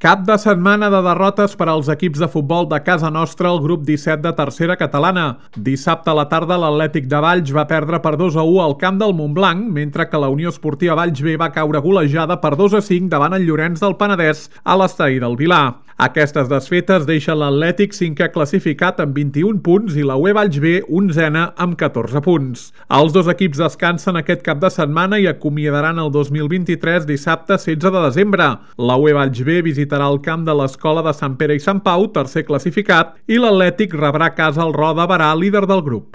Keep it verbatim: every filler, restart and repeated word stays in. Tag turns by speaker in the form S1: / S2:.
S1: Cap de setmana de derrotes per als equips de futbol de casa nostra al grup disset de tercera catalana. Dissabte a la tarda l'Atlètic de Valls va perdre per dos a u al camp del Montblanc, mentre que la Unió Esportiva Valls B va caure golejada per dos a cinc davant el Llorenç del Penedès a l'estadi del Vilar. Aquestes desfetes deixen l'Atlètic cinquè classificat amb vint-i-un punts i la U E Valls B onzena amb catorze punts. Els dos equips descansen aquest cap de setmana i acomiadaran el dos mil vint-i-tres dissabte setze de desembre. La U E Valls B visitarà el camp de l'Escola de Sant Pere i Sant Pau, tercer classificat, i l'Atlètic rebrà a casa el Roda Barà, líder del grup.